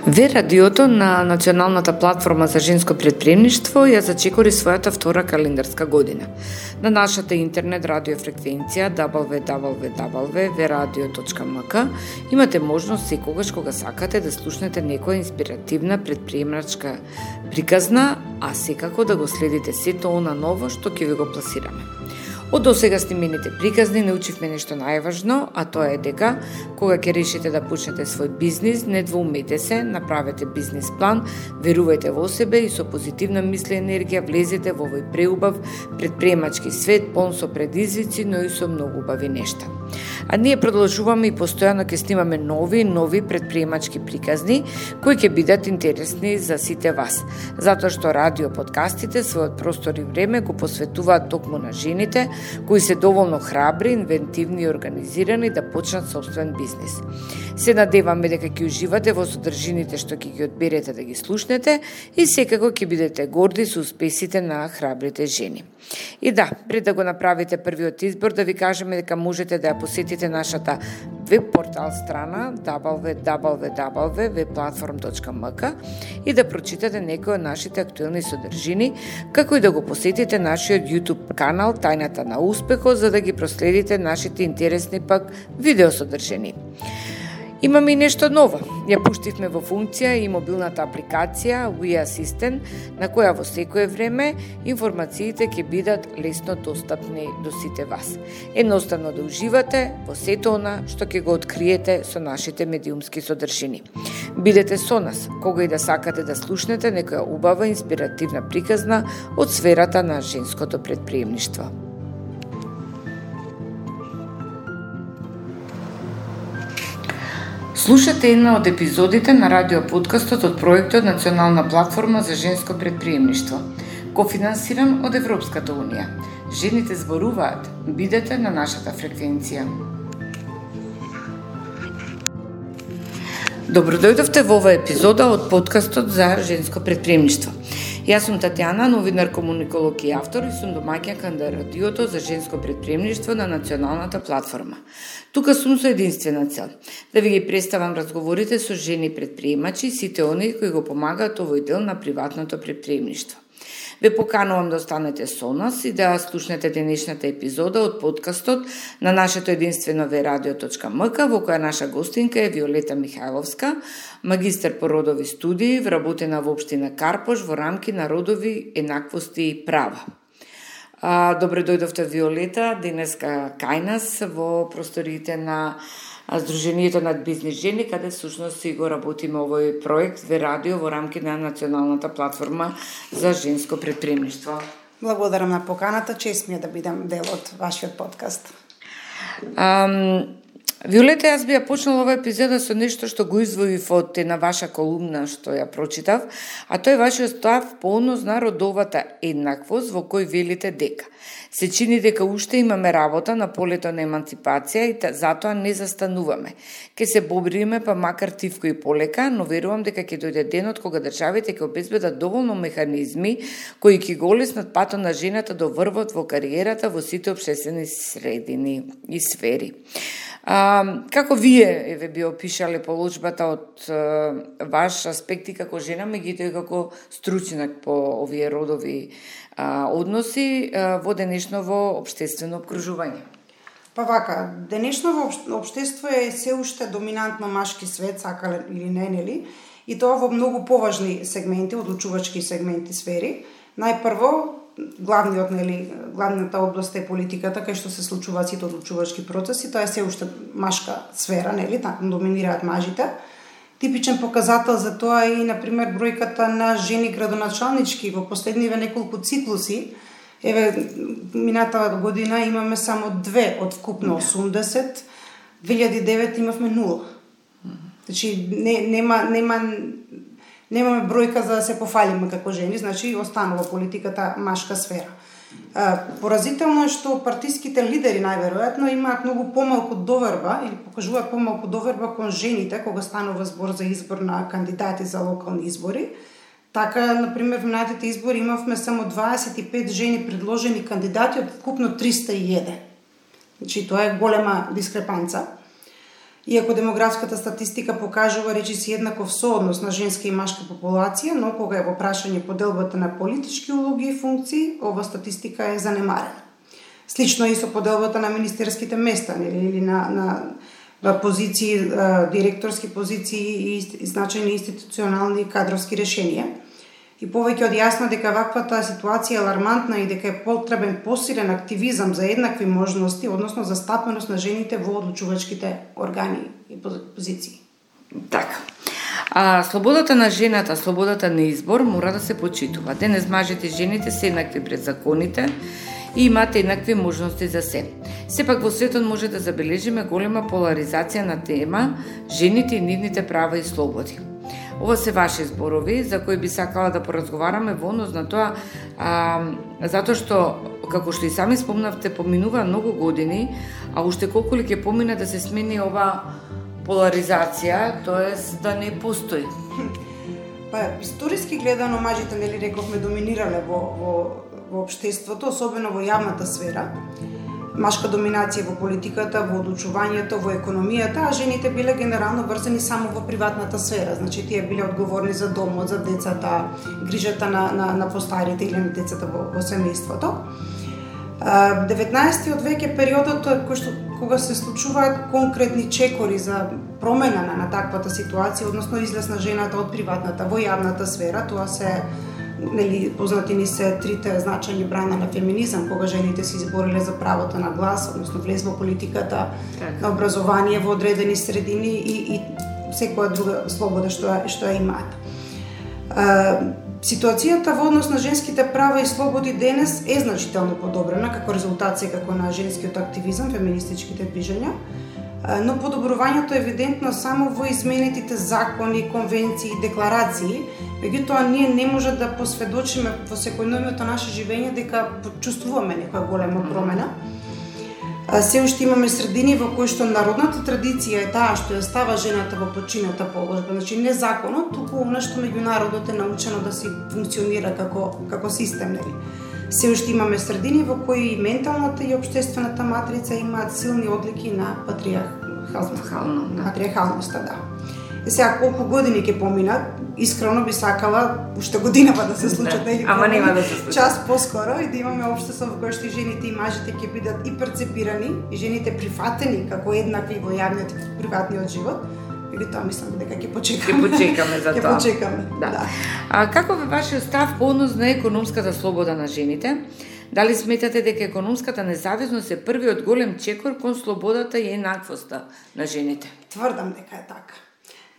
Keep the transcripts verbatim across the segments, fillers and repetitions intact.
Ве радиото на Националната платформа за женско претприемништво ја зачекори својата втора календарска година. На нашата интернет радио фреквенција дабл ю дабл ю дабл ю точка ве радио точка ем ка имате можност секогаш кога сакате да слушнете некоја инспиративна претприемачка приказна, а секако да го следите сето она ново што ќе ви го пласираме. Од досега снимените приказни научивме нешто најважно, а тоа е дека кога ќе решите да почнете свој бизнис, не двоумете се, направете бизнис план, верувајте во себе и со позитивна мисла и енергија влезете во овој преубав претприемачки свет, полн со предизвици, но и со многу убави нешта. А ние продолжуваме и постојано ќе снимаме нови и нови претприемачки приказни кои ќе бидат интересни за сите вас, затоа што радио подкастите својот простор и време го посветуваат токму на жените кои се доволно храбри, инвентивни и организирани да почнат собствен бизнис. Се надеваме дека ќе уживате во содржините што ќе ги одберете да ги слушнете и секако ќе бидете горди со успесите на храбрите жени. И да, пред да го направите првиот избор, да ви кажеме дека можете да ја посетите нашата веб портал страна дабл ю дабл ю дабл ю точка ве платформ точка ем ка и да прочитате некои од нашите актуелни содржини, како и да го посетите нашиот YouTube канал Тајната на успехот, за да ги проследите нашите интересни пак видео содржини. Имаме и нешто ново. Ја пуштивме во функција и мобилната апликација We Assistant, на која во секое време информациите ќе бидат лесно достапни до сите вас. Едноставно да уживате во сето она што ќе го откриете со нашите медиумски содржини. Бидете со нас, кога и да сакате да слушнете некоја убава инспиративна приказна од сферата на женското претприемништво. Слушате една од епизодите на радиоподкастот од проектот Национална платформа за женско претприемништво, кофинансиран од Европската унија. Жените зборуваат, бидете на нашата фреквенција. Добро дојдовте во оваа епизода од подкастот за женско претприемништво. Јас сум Татјана, новинар, комуниколог и автор и сум домаќинка на радиото за женско претприемништво на Националната платформа. Тука сум со единствена цел да ви ги представам разговорите со жени претприемачи и сите оние кои го помагаат овој дел на приватното претприемништво. Ве поканувам да останете со нас и да слушнете денешната епизода од подкастот на нашето единствено ве радио точка ем ка, во која наша гостинка е Виолета Михајловска, магистар по родови студии, вработена во општина Карпош во рамки на родови, еднаквости и права. Добре дојдовте, Виолета, денеска кај нас во просториите на Сдруженијето над бизнис жени, каде всушност си го работиме овој проект Ве радио во рамки на Националната платформа за женско претприемништво. Благодарам на поканата, чест ми е да бидам дел од вашиот подкаст. Ам, Виолета, јас би ја почнала оваа епизода со нешто што го извоив од една ваша колумна што ја прочитав, а тој е вашиот став по однос на родовата еднаквост во кој велите дека се чини дека уште имаме работа на полето на еманципација и затоа не застануваме. Ке се бориме па макар тивко и полека, но верувам дека ќе дојде денот кога државите ќе обезбедат доволно механизми кои ќе го олеснат патот на жената до врвот во кариерата во сите општествени средини и сфери. А, како вие еве би опишале положбата од а, ваш аспект и како жена, меѓутоа и како стручнак по овие родови а, односи а, во денешново општествено обкружување? Па вака, денешново општество е се уште доминантно машки свет, сакале или не, нели? И тоа во многу поважни сегменти, одлучувачки сегменти сфери. Најпрво, главниот, нели, главната област е политиката, кај што се случуваат сите одлучувачки процеси, тоа е се уште машка сфера, нели, таму доминираат мажите. Типичен показател за тоа е и, например, бројката на жени градоначалнички во последниве неколку циклуси. Еве, минатава година имаме само две од вкупно осумдесет, две илјади и девет имавме нула. Значи, не, нема, нема, немаме бројка за да се пофалиме како жени, значи останува политиката машка сфера. Поразително е што партиските лидери најверојатно имаат многу помалку доверба или покажуваат помалку доверба кон жените кога станува збор за избор на кандидати за локални избори. Така, например, во минатите избори имавме само дваесет и пет жени предложени кандидати од вкупно триста и еден. Значи, тоа е голема дискрепанца. Иако демографската статистика покажува речиси еднаков сооднос на женска и машка популација, но кога е во прашање поделбата на политички улоги и функции, ова статистика е занемарена. Слично и со поделбата на министерските места или на, на позиции, директорски позиции и значајни институционални и кадровски решенија. И повеќе од јасно дека ваквата ситуација е алармантна и дека е потребен посилен активизам за еднакви можности, односно за стапеност на жените во одлучувачките органи и позиции. Така. А слободата на жената, слободата на избор мора да се почитува. Денес мажите и жените се еднакви пред законите и имате еднакви можности за се. Сепак во светот може да забележиме голема поларизација на тема жените и нивните права и слободи. Ова се ваши зборови за кои би сакала да поразговараме во однос на тоа, а, затоа што, како што и сами спомнавте, поминува многу години, а уште колку ли ќе помине да се смени ова поларизација, тоест да не постои? Па, историски гледано, мажите, нели рековме, доминирале во, во, во општеството, особено во јавната сфера. Машка доминација во политиката, во одлучувањето, во економијата, а жените биле генерално врзани само во приватната сфера. Значи, тие биле одговорни за домот, за децата, грижата на, на, на постарите или на децата во, во семејството. деветнаесеттиот век е периодот кој што, кога се случуваат конкретни чекори за промена на, на таквата ситуација, односно излез на жената од приватната во јавната сфера. Тоа се, нели, познати ни се трите значајни брана на феминизам, кога жените се избориле за правото на глас, односно влез во политиката, так, на образование во одредени средини и, и секоја друга слобода што, што ја имаат. Ситуацијата во однос на женските права и слободи денес е значително подобрена како резултат секако на женскиот активизам, феминистичките движења, но подобрувањето е евидентно само во изменетите закони, конвенции и декларации. Меѓутоа, ние не може да посведочиме во секојдневното наше живење дека почувствуваме некоја голема промена. Се уште имаме средини во кои што народната традиција е таа што ја става жената во подчинета положба, значи не законот, туку она што меѓународот е научено да се функционира како како систем, нели. Се уште имаме средини во кои и менталната и општествената матрица имаат силни одлики на патриархалност, да. патриархалноста, да. Е сега, колку години ќе поминат, искрено би сакала уште годинава да се случат, нели? Ама нема да се случат. Час поскоро и да имаме општество во кое што и жените и мажите ќе бидат и перцепирани, и жените прифатени како еднакви во јавниот и приватниот живот. Меѓутоа, мислам дека ќе почекаме. Ќе почекаме за тоа. Ќе почекаме, да. да. А каков е вашиот став по однос на економската слобода на жените? Дали сметате дека економската независност е првиот голем чекор кон слободата и еднаквоста на жените? Тврдам дека е така.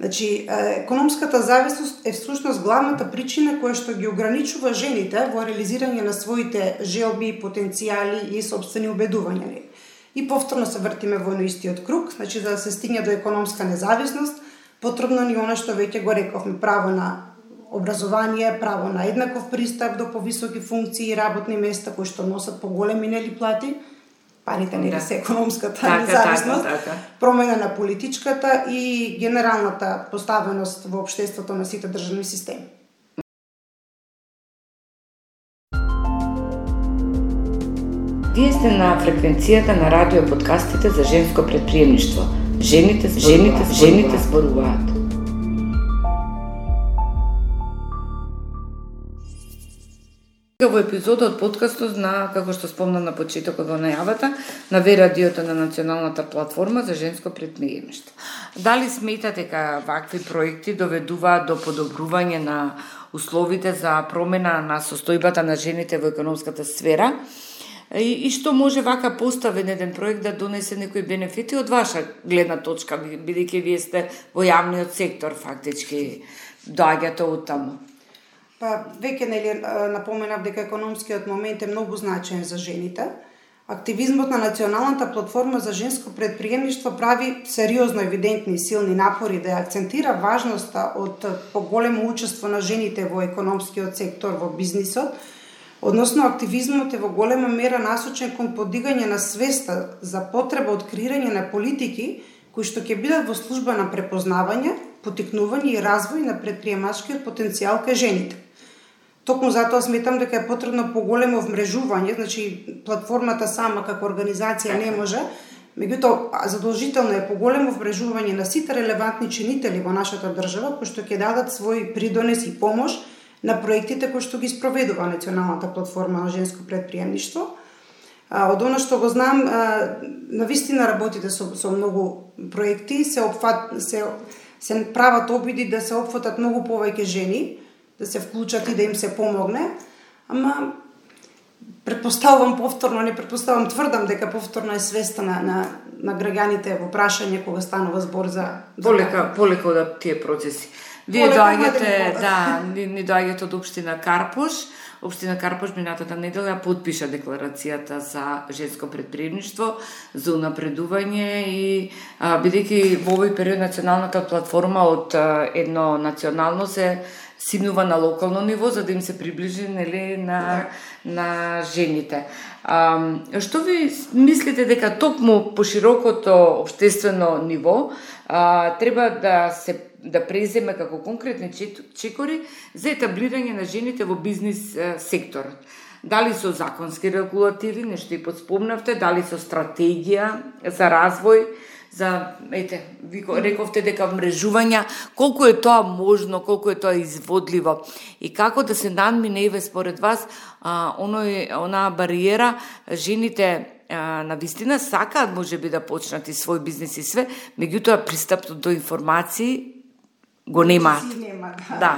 Значи, економската зависност е всушност главната причина која што ги ограничува жените во реализирање на своите желби, потенцијали и собствени убедувања. И повторно се вртиме во истиот круг, значи за да се стигне до економска независност, потребно ни она што веќе го рековме, право на образование, право на еднаков пристап до повисоки функции и работни места кои што носат поголеми нели плати, парите нели се економската така, независност, така, така. Промена на политичката и генералната поставеност во општеството на сите државни системи. Вие сте на фреквенцијата на радио подкастите за женско предприемништво. Жените, жените, жените зборуваат. Во епизода од подкастот на, како што спомнам на почетокот во најавата, на Ве радиото на Националната платформа за женско предприемништво. Дали сметате дека вакви проекти доведуваат до подобрување на условите за промена на состојбата на жените во економската сфера? И, и што може вака поставен еден проект да донесе некои бенефити од ваша гледна точка, бидејќи вие сте во јавниот сектор фактички, доаѓате од таму? Па, веќе нели напоменав дека економскиот момент е многу значаен за жените. Активизмот на Националната платформа за женско предприемништво прави сериозно евидентни и силни напори да акцентира важноста од поголемо учество на жените во економскиот сектор, во бизнисот. Односно, активизмот е во голема мера насочен кон подигање на свеста за потреба од креирање на политики кои што ќе бидат во служба на препознавање, поттикнување и развој на предприемачкиот потенцијал кај жените. Токму затоа сметам дека е потребно поголемо вмрежување, значи платформата сама како организација не може, Меѓутоа, задолжително е поголемо вмрежување на сите релевантни чинители во нашата држава, кои што ќе дадат свој придонес и помош на проектите кои што ги спроведува Националната платформа на женско претприемништво. Од она што го знам, навистина работите со, со многу проекти, се, опфат, се, се прават обиди да се опфатат многу повеќе жени, да се вклучат и да им се помогне, ама предпоставувам повторно, не предпоставувам, тврдам дека повторно е свеста на, на, на граѓаните во прашање кога станува збор за... Полека, полека од тие процеси. Вие доаѓате, да, ни, ни доаѓате од Општина Карпош. Општина Карпош минатата недела потпиша декларацијата за женско претприемништво, за унапредување и бидејќи во овој период националната платформа од а, едно национално се симнува на локално ниво за да им се приближи, нели, на на жените. А, што ви мислите дека токму по широкото општествено ниво а, треба да се да преземе како конкретни чекори за етаблирање на жените во бизнис е, секторот? Дали со законски регулативи, нешто и подспомнавте, дали со стратегија за развој, за, ете, ви рековте дека мрежувања, колку е тоа можно, колку е тоа изводливо и како да се надмине еве според вас а, оној, онаа бариера, жените а, на вистина сакаат можеби да почнат и свој бизнис и све, меѓутоа пристапот до информации го немаат. Нема, да. Да.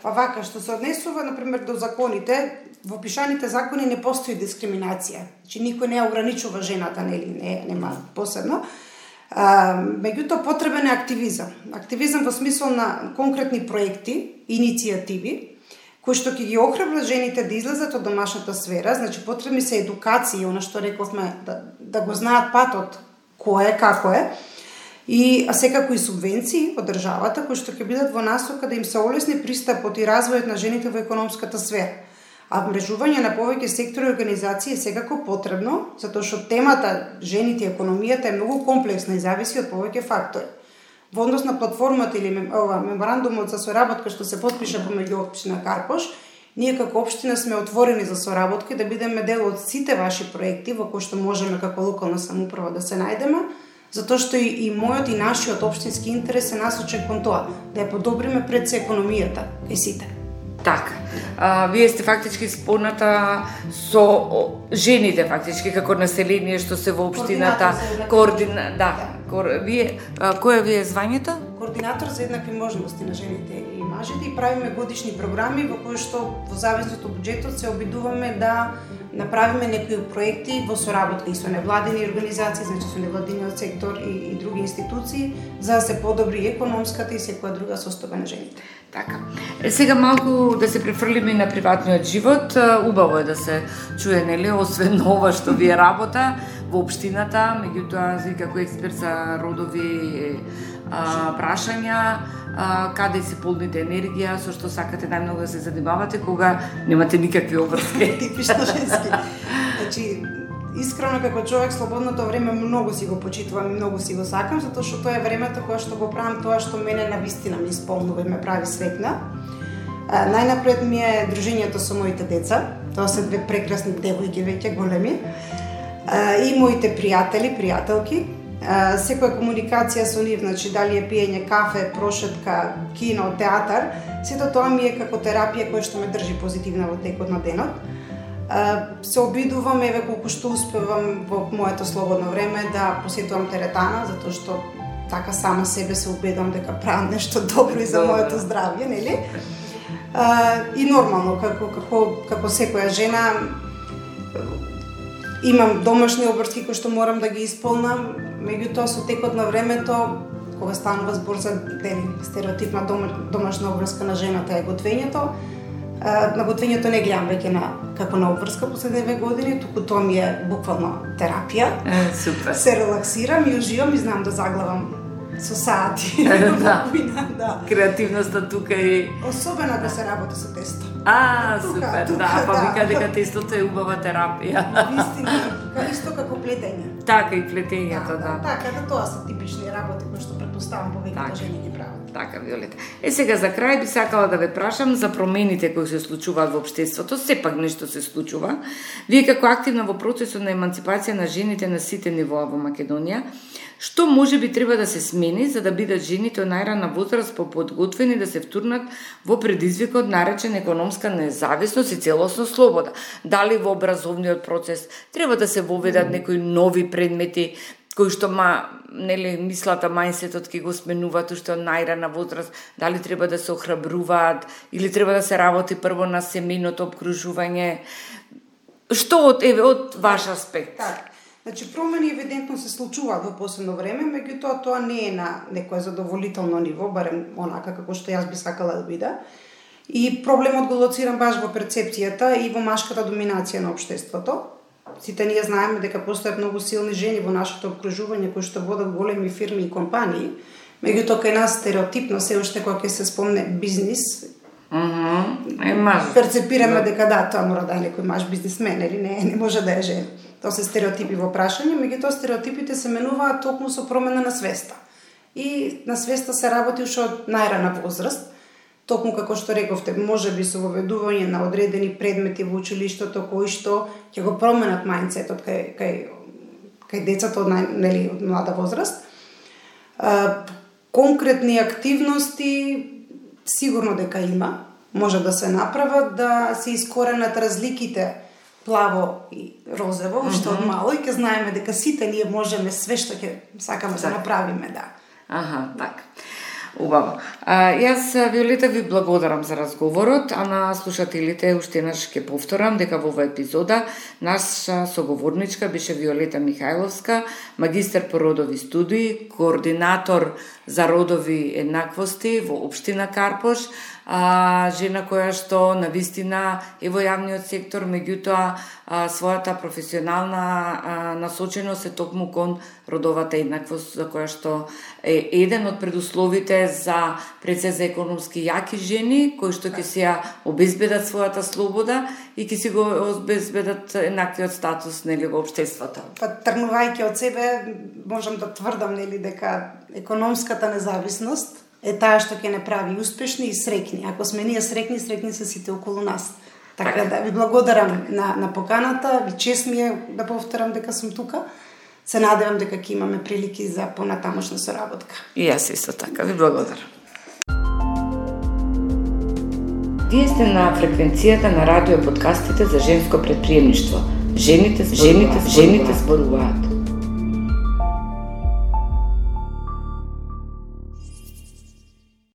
Па вака, што се однесува, например, до законите, во пишаните закони не постои дискриминација. Значи, никој не ограничува жената, нели, не, нема посебно. А, меѓутоа, потребен е активизам. Активизам во смисол на конкретни проекти, иницијативи, кои што ќе ги охрабрат жените да излезат од домашната сфера, значи потребни се едукации, она што рековме, да, да го знаат патот, кој е, како е, и а секако и субвенции од државата кои што ќе бидат во насока да им се олесни пристапот и развојот на жените во економската сфера. А мрежување на повеќе сектори и организации е секако потребно, затоа што темата жените и економијата е многу комплексна и зависи од повеќе фактори. Во однос на платформата или ова меморандумот за соработка што се потпиша помеѓу Општина Карпош, ние како општина сме отворени за соработка и да бидеме дел од сите ваши проекти во кои што можеме како локална самоуправа да се најдеме, затоа што и, и мојот и нашиот општински интерес е насочен кон тоа, да ја подобриме пред се економијата кај сите. Така. А, вие сте фактички споната со о, жените фактички како население што се во општината, координа, да, кор, вие а, кое ви е звањето? Координатор за еднакви можности на жените и мажите и правиме годишни програми во кои што во зависност од буџетот се обидуваме да направиме некои проекти во соработка и со невладини организации, значи со невладиниот сектор и, и други институции, за да се подобри и економската и секоја друга состојба на жените. Така. Е, сега малку да се префрлиме на приватниот живот. Убаво е да се чуе, нели, освен ова што ви е работа во општината, меѓутоа ви како експерт за родови а, прашања, а, каде се полните енергија, со што сакате најмногу да се занимавате кога немате никакви обврски. Типично женски. Значи, искрено како човек слободното време многу си го почитувам и многу си го сакам, затоа што тоа е времето кога што го правам тоа што мене навистина ми исполнува и ме прави среќна. Најнапред ми е дружењето со моите деца. Тоа се две прекрасни девојки веќе големи. А, и моите пријатели, пријателки. А, секоја комуникација со нив, значи дали е пиење кафе, прошетка, кино, театар, сето тоа ми е како терапија која што ме држи позитивна во текот на денот. Uh, се обидувам, еве колку што успевам во моето слободно време да посетувам теретана, затоа што така сама себе се убедам дека правам нешто добро и за моето здравје, нели? Uh, и нормално, како, како, како секоја жена, имам домашни обврски кои што морам да ги исполнам, меѓутоа со текот на времето, кога станува збор за дели, стереотипна дома, домашна обврска на жената е готвењето, на готвењето не гледам веќе на како на обврска последните две години, туку тоа ми е буквално терапија. Е, супер. Се релаксирам и уживам и знам да заглавам со сати. Да. Да. Креативноста тука и особено ако се работи со тесто. А, тука, супер, тука, да, па да. вика дека тестото е убава терапија. Вистина, Ка, исто како плетење. Така и плетењето, да. да. Така, да, тоа се типични работи кои што претпоставам повеќето жени ги прават. Така, Виолета. Е, сега за крај би сакала да ве прашам за промените кои се случуваат во општеството. Сепак нешто се случува. Вие како активна во процесот на еманципација на жените на сите нивоа во Македонија, што може би треба да се смени за да бидат жените од најрана возраст поподготвени да се втурнат во предизвикот наречен економска независност и целосна слобода? Дали во образовниот процес треба да се воведат некои нови предмети кои што ма, нели, мислата, мајнсетот ќе го сменуваат уште од најрана возраст, дали треба да се охрабруваат или треба да се работи прво на семејното обкружување? Што од еве од ваш аспект? Така. Значи, промени евидентно се случуваат во последно време, меѓутоа тоа не е на некое задоволително ниво, барем онака како што јас би сакала да биде. И проблемот го лоцирам баш во перцепцијата и во машката доминација на општеството. Сите ние знаеме дека постојат многу силни жени во нашето обкружување кои што водат големи фирми и компании, меѓутоа кај нас стереотипно се уште кога ќе се спомне бизнис, mm-hmm. е маж. Перцепираме да. дека да, тоа мора да е некој маж бизнисмен или не, не може да е жена. Тоа се стереотипи во прашање, меѓутоа стереотипите се менуваат токму со промена на свеста. И на свеста се работи уште од најрана возраст. Токму како што рековте, може би со воведување на одредени предмети во училиштето кои што ќе го променат мајндсетот кај кај кај децата од нај, нели од млада возраст. А, конкретни активности сигурно дека има, може да се направат, да се искоренат разликите плаво и розово, уште mm-hmm. од мало и ќе знаеме дека сите ние можеме све што ќе сакаме да направиме, да. Аха, така. Убаво. А, јас, Виолета, ви благодарам за разговорот, а на слушателите уште еднаш ќе повторам дека во оваа епизода наша соговорничка беше Виолета Михајловска, магистар по родови студии, координатор за родови еднаквости во општина Карпош, а, жена која што навистина е во јавниот сектор, меѓутоа а, својата професионална а, насоченост е токму кон родовата еднаквост, за која што е еден од предусловите за пред се за економски јаки жени кои што ќе си ја обезбедат својата слобода и ќе си го обезбедат еднаквиот статус, нели, во општеството. Па тргнувајќи од себе можам да тврдам, нели, дека економската независност е таа што ќе не прави успешни и среќни. Ако сме ние среќни, среќни се сите околу нас. Така да ви благодарам на на поканата, ви чест ми е да повторам дека сум тука. Се надевам дека ќе имаме прилики за понатамошна соработка. И јас исто така ви благодарам. Вие сте на фреквенцијата на радио подкастите за женско предприемништво. Жените, жените, жените зборуваат.